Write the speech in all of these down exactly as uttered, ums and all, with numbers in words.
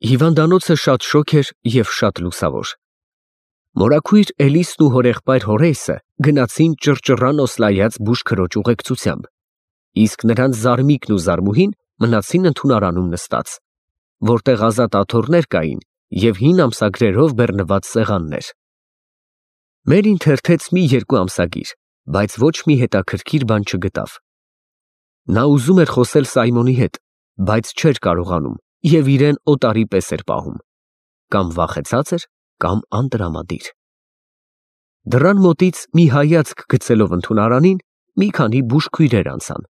Հիվանդանոցը շատ շոգ էր և շատ լուսավոր։ Մորաքույր Էլիսն ու հորեղբայր Հորեյսը գնացին ճռճռան օսլայած բուժքրոջ ուղեկցությամբ, իսկ նրանց Զարմիկն ու Զարմուհին մնացին ընդունարանում նստած, որտեղ ազատ աթոռներ կային և հին ամսագրերով բեռնված սեղաններ։ Մերին թերթեց մի երկու ամսագիր, բայց ոչ մի հետաքրքիր բան չգտավ։ Նա ուզում էր խոսել Սայմոնի հետ, բայց չէր կարողանում և իրեն օտարի պես էր պահում, կամ վախեցած էր, կամ անտրամադիր։ Դռան մոտից մի հայացք գցելով ընդունարանին, մի քանի բուժքույրեր անցան։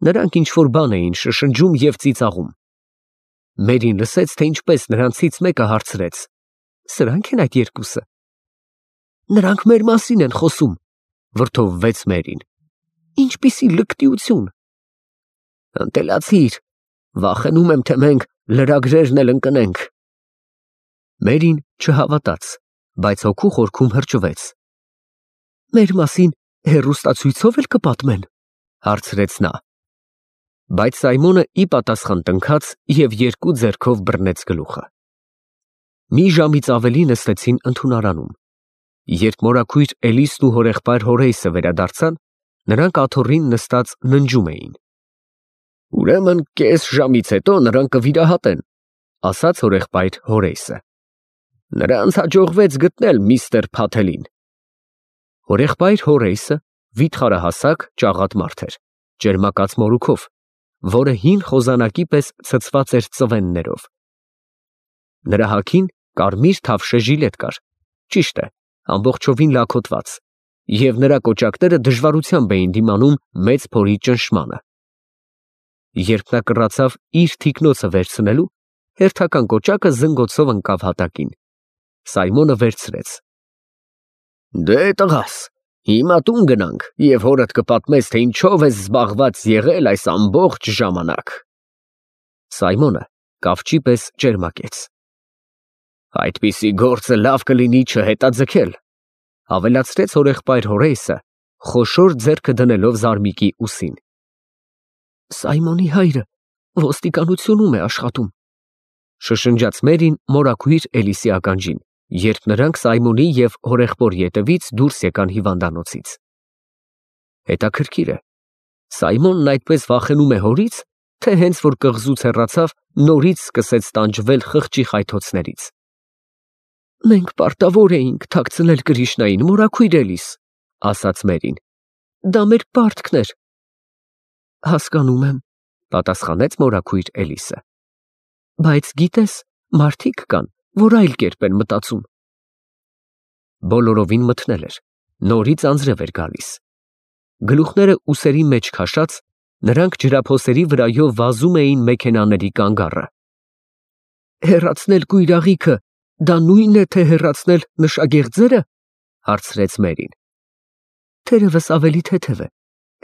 Նրանք ինչ-որ բան էին շշնջում և ծիծաղում։ Մերին լսեց, թե ինչպես նրանցից մեկը հարցրեց. «Սրանք են այդ երկուսը»։ «Նրանք մեր մասին են խոսում», վրդովվեց Մերին։ «Ինչպիսի լկտիություն»։ «Ընտելացիր, վախենում եմ, թե մենք լրագրերն էլ ընկնենք»։ Մերին չհավատաց, բայց հոգու խորքում հրճվեց։ «Մեր մասին հեռուստացույցով էլ կպատմեն», հարցրեց նա։ Բայց Սայմոնը ի պատասխան տնքաց և երկու ձեռքով բռնեց գլուխը։ Մի ժամից ավելի նստեցին ընդունարանում։ Երբ մորաքույր Էլիսն ու հորեղբայր Հորեյսը վերադարձան, նրանք աթոռին նստած ննջում էին։ «Ուրեմն կես ժամից հետո նրան կվիրահատեն», ասաց հորեղբայր Հորեյսը։ «Նրանց հաջողվեց գտնել միստր Փաթելին»։ Հորեղբայր Հորեյսը վիթխարահասակ, ճաղատ մարդ էր, ճերմակած մորուքով, որը հին խոզանակի պես ցցված էր ծվեններով։ Նրա հագին կարմիր թավշե ժիլետ կար, ճիշտ է, ամբողջովին լաքոթված, և նրա կոճակները դժվարությամբ էին դիմանում մեծ փորի ճնշմանը։ Երբ նա կռացավ իր թիկնոցը վերցնելու, հերթական կոճակը զնգոցով ընկավ հատակին։ Սայմոնը վերցրեց։ «Դե տղաս, հիմա տուն գնանք, և հորդ կպատմես, թե ինչով ես զբաղված եղել այս ամբողջ ժամանակ»։ Սայմոնը կավճի պես ճերմակեց։ «Այդպիսի գործը լավ կլինի չհետաձգել», ավելացրեց հորեղբայր Հորեյսը, խոշոր ձեռքը դնելով Զարմիկի ուսին։ «Սայմոնի հայրը ոստիկանությունում է աշխատում», շշնջաց Մերին մորաքույր Էլիսի ականջին, երբ նրանք Սայմոնի և հորեղբոր ետևից դուրս եկան հիվանդանոցից։ Հետաքրքիր է, Սայմոնն այդպես վախենում է հորից, թե հենց որ կղզուց հեռացավ, նորից սկսեց տանջվել խղճի խայթոցներից։ «Մենք պարտավոր էինք թաքցնել Կրիշնային, մորաքույր Էլիս», ասաց Մերին։ «Դա մեր պարտքն էր»։ «Հասկանում եմ», պատասխանեց մորաքույր Էլիսը։ «Բայց գիտես, մարդիկ կան, որ այլ կերպ են մտածում»։ Բոլորովին մթնել էր, նորից անձրև էր գալիս։ Գլուխները ուսերի մեջ քաշած, նրանք ջրափոսերի վրայով վազում էին մեքենաների կանգառը։ «Հեռացնել կույրաղիքը, դա նույնն է, թե հեռացնել նշագեղձերը», հարցրեց Մերին։ «Թերևս ավելի թեթև է,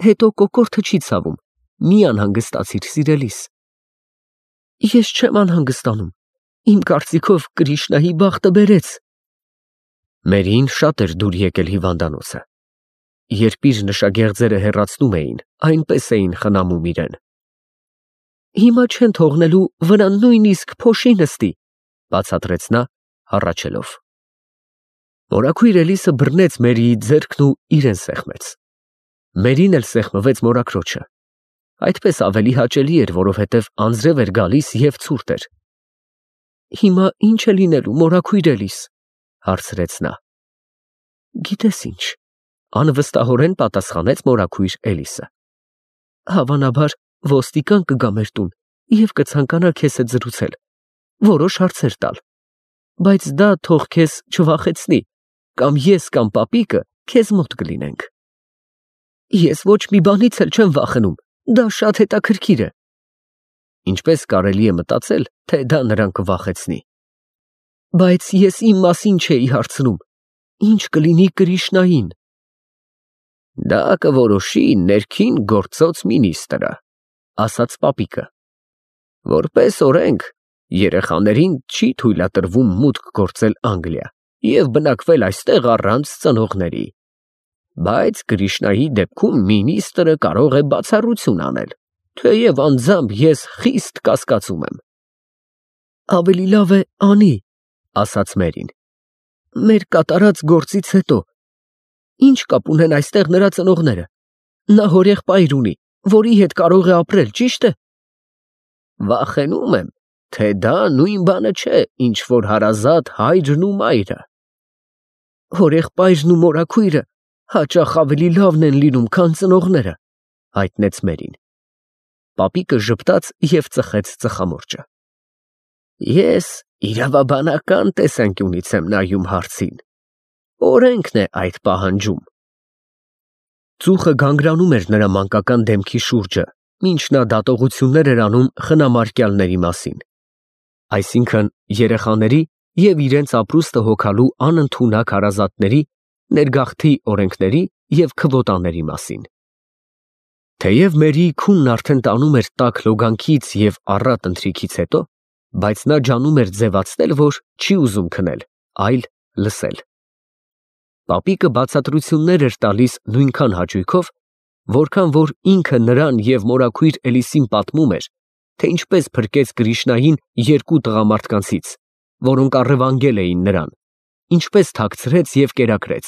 հետո կոկորդը չի ցավում, մի անհանգստացիր, սիրելիս»։ «Ես չեմ անհանգստանում, իմ կարծիքով Կրիշնայի բախտը բերեց»։ Մերին շատ էր դուր եկել հիվանդանոցը։ Երբ իր նշագեղձերը հեռացնում էին, այնպես էին խնամում իրեն։ «Հիմա չեն թողնելու վրան նույնիսկ փոշի նստի», բացատրեց նա, հառաչելով։ Մորաքույր Էլիսը բռնեց Մերիի ձեռքն ու իրեն սեղմեց։ Մերին էլ սեղմվեց մորաքրոջը։ Այդպես ավելի հաճելի էր, որովհետև անձրև էր գալիս և ցուրտ էր։ «Հիմա ի՞նչ է լինելու, մորաքույր Էլիս», հարցրեց նա։ «Գիտես ինչ», անվստահորեն պատասխանեց մորաքույր Էլիսը։ «Հավանաբար ոստիկան կգա մեր տուն և կցանկանա քեզ հետ զրուցել, որոշ հարցեր տալ, բայց դա թող քեզ չվախեցնի, կամ ես կամ պապիկը քեզ մոտ կլինենք»։ «Ես ոչ մի բանից էլ չեմ վախենում, դա շատ հետաքրքիր է»։ Ինչպես կարելի է մտածել, թե դա նրան կվախեցնի։ «Բայց ես իմ մասին չէի հարցնում, ինչ կլինի Կրիշնային»։ «Դա կորոշի ներքին գործոց մինիստրը», ասաց պապիկը։ «Որպես օրենք, երեխաներին չի թույլատրվում մուտք գործել Անգլիա և բնակվել այստեղ առանց ծնողների։ Բայց Կրիշնայի դեպքում մինիստրը կարող է բացառություն անել, թեև անձամբ ես խիստ կասկածում եմ»։ Ավելի լավ է անի, ասաց Մերին։ Մեր կատարած գործից հետո ինչ կապ ունեն այստեղ նրա ծնողները։ Նա հորեղբայր ունի, որի հետ կարող է ապրել, ճիշտ է։ Վախենում եմ, թե դա նույն բանը չէ, ինչ որ հարազատ հայրն ու մայրը։ Հորեղբայրն ու մորաքույրը հաճախ ավելի լավն են լինում, քան ծնողները, հայտնեց Մերին։ Պապիկը ժպտաց և ծխեց ծխամորճը։ Ես իրավաբանական տեսանկյունից եմ նայում հարցին։ Օրենքն է այդ պահանջում։ Ծուխը գանգրանում էր նրա մանկական դեմքի շուրջը, մինչ նա դատողություններ էր անում խնամարկյալների մասին, այսինքն երեխաների և իրենց ապրուստը հոգալու անընդունակ հարազատների, ներգաղթի օրենքների և քվոտաների մասին։ Թեև Մերիի քունն արդեն տանում էր տաք լոգանքից և առատ ընթրիքից հետո, բայց նա ջանում էր ձևացնել, որ չի ուզում քնել, այլ լսել։ Պապիկը բացատրություններ էր տալիս նույնքան հաճույքով, որքան որ ինքը նրան և մորաքույր Էլիսին պատմում էր, թե ինչպես փրկեց Կրիշնային երկու տղամարդկանցից, որոնք առևանգել էին նրան, ինչպես թաքցրեց և կերակրեց։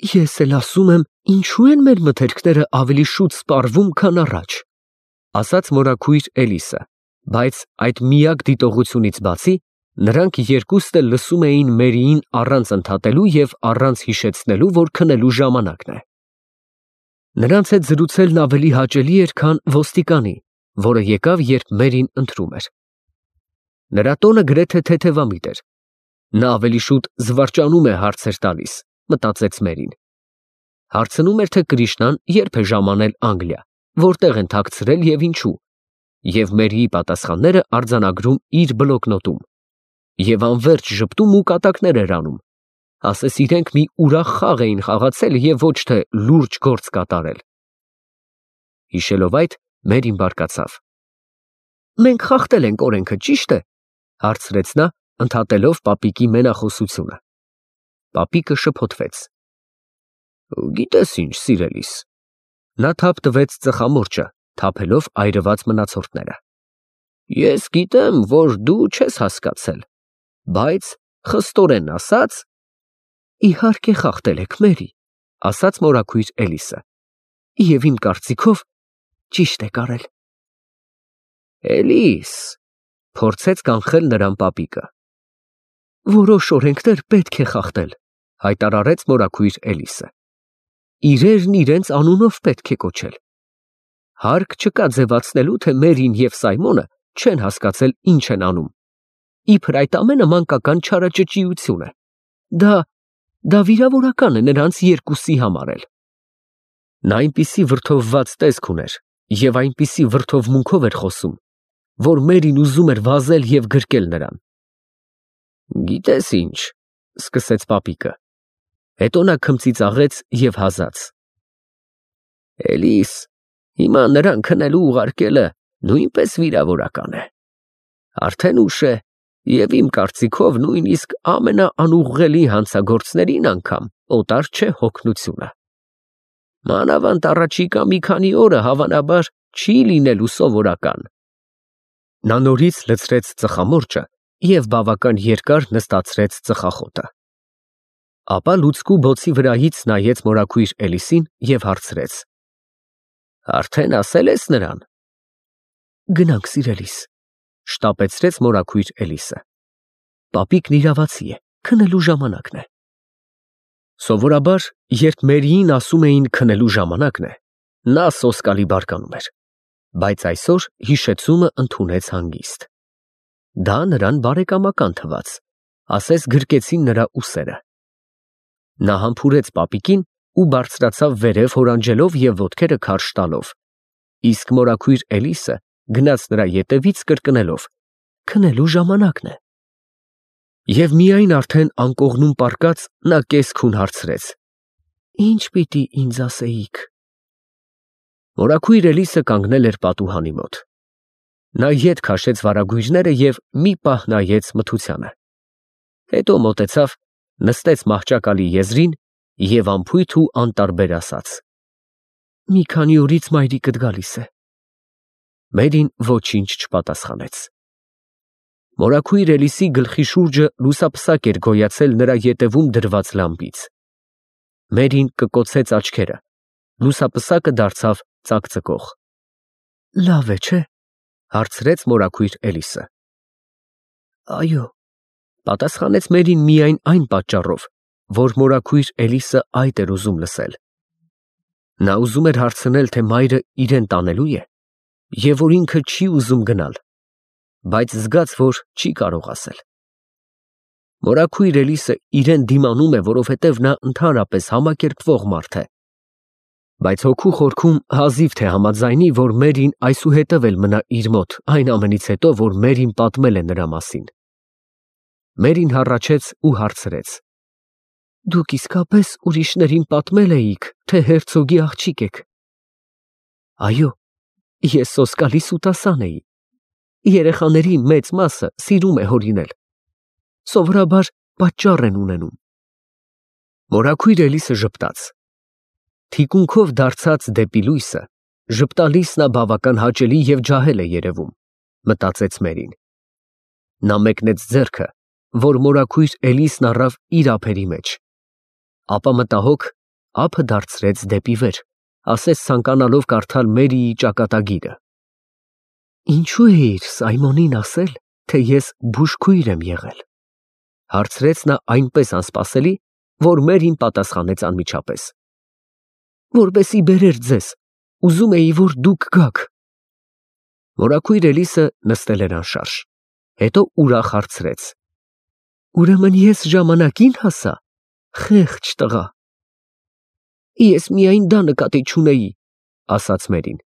Ես էլ ասում եմ, ինչու են մեր մթերքները ավելի շուտ սպառվում, քան առաջ, ասաց մորաքույր Էլիսը, բայց այդ միակ դիտողությունից բացի, նրանք երկուստ էլ լսում էին Մերիին առանց ընդհատելու և առանց հիշեցնելու, որ քնելու ժամանակն է։ Նրանց հետ զրուցելն ավելի հաճելի էր, քան ոստիկանի, որը եկավ, երբ Մերին ընթրում էր։ Նրա տոնը գրեթե թեթևամիտ էր։ Նա ավելի շուտ զվարճանում է հարցեր տալիս, մտածեց Մերին։ Հարցնում էր, թե Կրիշնան երբ է ժամանել Անգլիա, որտեղ են թաքցրել և ինչու, և Մերիի պատասխանները արձանագրում իր բլոկնոտում, և անվերջ ժպտում ու կատակներ էր անում, ասես իրենք մի ուրախ խաղ էին խաղացել և ոչ թե լուրջ գործ կատարել։ Հիշելով այդ, Մերին բարկացավ։ Մենք խախտել ենք օրենքը, ճիշտ է, հարցրեց նա, ընդհատելով պապիկի մենախոսությունը։ Պապիկը շփոթվեց։ Գիտես ինչ, սիրելիս։ Նա թափ տվեց ծխամորճը, թափելով այրված մնացորդները։ Ես գիտեմ, որ դու չես հասկացել, բայց խստորեն ասած, իհարկե խախտել եք, Մերի, ասաց մորաքույր Էլիսը, և իմ կարծիքով ճիշտ եք արել։ Էլիս, փորձեց կանխել նրան պապիկը։ Որոշ օրենքներ պետք է խախտել, հայտարարեց մորաքույր Էլիսը։ Իրերն իրենց անունով պետք է կոչել։ Հարկ չկա ձևացնելու, թե Մերին և Սայմոնը չեն հասկացել ինչ են անում։ Իբր այդ ամենը մանկական չարաճճիություն է։ Դա, դա վիրավորական է նրանց երկուսի համար էլ։ Նա այնպիսի վրդովված տեսք ուներ և այնպիսի վրդովմունքով էր խոսում, որ Մերին ուզում էր վազել և գրկել նրան։ Գիտես ինչ, սկսեց պապիկը։ Հետո նա քմծիծաղեց և հազաց։ Էլիս, հիմա նրան քնելու ուղարկելը նույնպես վիրավորական է։ Արդեն ուշ է, և իմ կարծիքով նույնիսկ ամենաանուղղելի հանցագործներին անգամ օտար չէ հոգնությունը։ Մանավանդ առաջիկա մի քանի օրը հավանաբար չի լինելու սովորական։ Նա նորից լցրեց ծխամորճը և բավական երկար նստացրեց ծխախոտը։ Ապա լուցկու բոցի վրայից նայեց մորաքույր Էլիսին և հարցրեց. Արդեն ասել ես նրան։ Գնանք, սիրելիս, շտապեցրեց մորաքույր Էլիսը։ Պապիկն իրավացի է, քնելու ժամանակն է։ Սովորաբար, երբ Մերիին ասում էին քնելու ժամանակն է, նա սոսկալի բարկանում էր, բայց այսօր հիշեցումը ընդունեց հանգիստ։ Դա նրան բարեկամական թվաց, ասես գրկեցին նրա ուսերը։ Նա համբուրեց պապիկին ու բարձրացավ վերև հորանջելով և ոտքերը քարշ տալով, իսկ մորաքույր Էլիսը գնաց նրա ետևից կրկնելով. քնելու ժամանակն է։ Եվ միայն արդեն անկողնում պառկած նա կես֊քուն հարցրեց. Ինչ պիտի ինձ ասեիք։ Մորաքույր Էլիսը կանգնել էր պատուհանի մոտ։ Նա ետ քաշեց վարագույրները և մի պահ նայեց մթությանը։ Հետո մոտեցավ, նստեց մահճակալի եզրին և անփույթ ու անտարբեր ասաց. Մի քանի օրից մայրիկդ գալիս է։ Մերին ոչինչ չպատասխանեց։ Մորաքույր Էլիսի գլխի շուրջը լուսապսակ էր գոյացել նրա ետևում դրված լամպից։ Մերին կկոցեց աչքերը, լուսապսակը դարձավ ծակծկող։ Լավ է, չէ՞, հարցրեց մորաքույր Էլիսը։ Այո, պատասխանեց Մերին միայն այն պատճառով, որ մորաքույր Էլիսը այդ էր ուզում լսել։ Նա ուզում էր հարցնել, թե մայրը իրեն տանելո՞ւ է, և որ ինքը չի ուզում գնալ, բայց զգաց, որ չի կարող ասել։ Մորաքույր Էլիսը իրեն դիմանում է, որովհետև նա ընդհանրապես համակերպվող մարդ է, բայց հոգու խորքում հազիվ թե համաձայնի, որ Մերին այսուհետև էլ մնա իր մոտ, այն ամենից հետո, որ Մերին պատմել է նրա մասին։ Մերին հառաչեց ու հարցրեց. Դուք իսկապես ուրիշներին պատմել էիք, թե հերցոգի աղջիկ եք։ Այո, ես սոսկալի սուտասան էի։ Երեխաների մեծ մասը սիրում է հորինել։ Սովորաբար պատճառ են ունենում։ Մորաքույր Էլիսը ժպտաց։ Թիկունքով դարձած դեպի լույսը, ժպտալիս նա բավական հաճելի և ջահել է երևում, մտածեց Մերին։ Նա մեկնեց ձեռքը, որ մորաքույր Էլիսն առավ իր ափերի մեջ, ապա մտահոգ ափը դարձրեց դեպի վեր, ասես ցանկանալով կարդալ Մերիի ճակատագիրը։ Ինչու էիր Սայմոնին ասել, թե ես բուժքույր եմ եղել, հարցրեց նա այնպես անսպասելի, որ Մերին պատասխանեց անմիջապես. Որպեսի բերեր ձեզ, ուզում էի, որ դուք գաք։ Մորաքույր Էլիսը նստել էր անշարժ, հետո ուրախ հարցրեց. Ուրեմն ես ժամանակին հասա, խեղճ տղա։ Ես միայն դա նկատի չունեի, ասաց Մերին։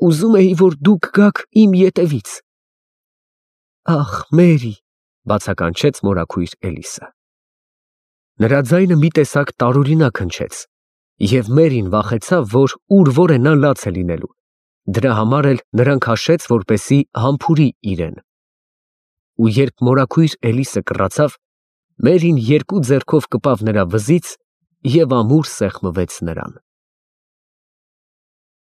Ուզում էի, որ դուք գաք իմ ետևից։ Ախ, Մերի, բացականչեց մորաքույր Էլիսը։ Նրա ձայնը մի տեսակ տարօրինակ հնչեց, և Մերին վախեցավ, որ ուր որ է նա լաց է լինելու, դրա համար էլ նրան քաշեց, որպեսզի համբուրի իրեն։ Ու երբ մորաքույր Էլիսը կռացավ, Մերին երկու ձեռքով կպավ նրա վզից և ամուր սեղմվեց նրան։